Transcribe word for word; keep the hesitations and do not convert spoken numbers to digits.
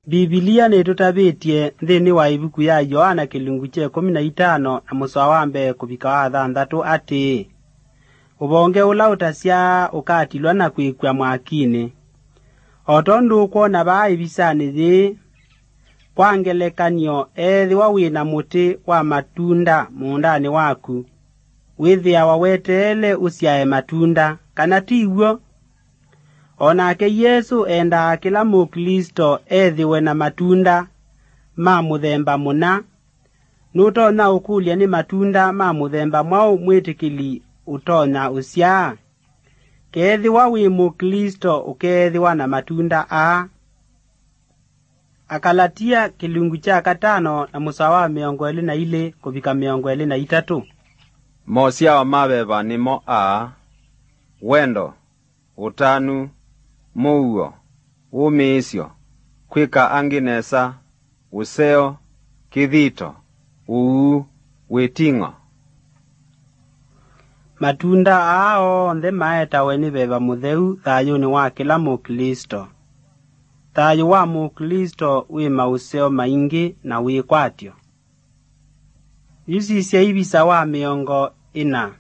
Mbivilia nĩtũtavĩtye nthĩnĩ wa ĩvuku ya Yoana kĩlungu kya ĩkũmi na itano na mũsoa wa mbee kũvika wa thanthatũ atĩĩ, "Ũvonge ũla ũtasyaa ũkatilwa na kwĩkw'a mwakinĩ." O tondũ ũkwona vaa ĩvisanĩ yĩĩ, kwa ngelekany'o, ethĩwa wĩ na mũtĩ wa matunda mũũndanĩ waku, wĩthĩawa weteele ũsyae matunda, kana ti w'o? O nake Yesũ endaa kĩla Mũklĩsto ethĩwe na matunda ma mũthemba mũna. Nũtonya ũkũlya nĩ matunda ma mũthemba mwaũ mwĩtĩkĩli ũtonya ũsyaa? Keethĩwa wĩ Mũklĩsto ũkeethĩwa na matunda aa. Akalatia kĩlungu kya katano na mũsoa wa mĩongo ĩlĩ na ilĩ kũvika mĩongo ĩlĩ na itatũ. Mosyao ma veva nĩmo aa: wendo, ũtanu, mũuo, wũmĩĩsyo, kwĩka angĩ nesa, ũseo, kĩthito, ũuu, wĩting'o. Matunda aa onthe maetawe nĩ veva mũtheu thayũnĩ wa kĩla Mũklĩsto. Thayũ wa Mũklĩsto wĩ maũseo maingĩ na wĩkwatyo. Yu sisya ivisa wa mĩongo ĩna.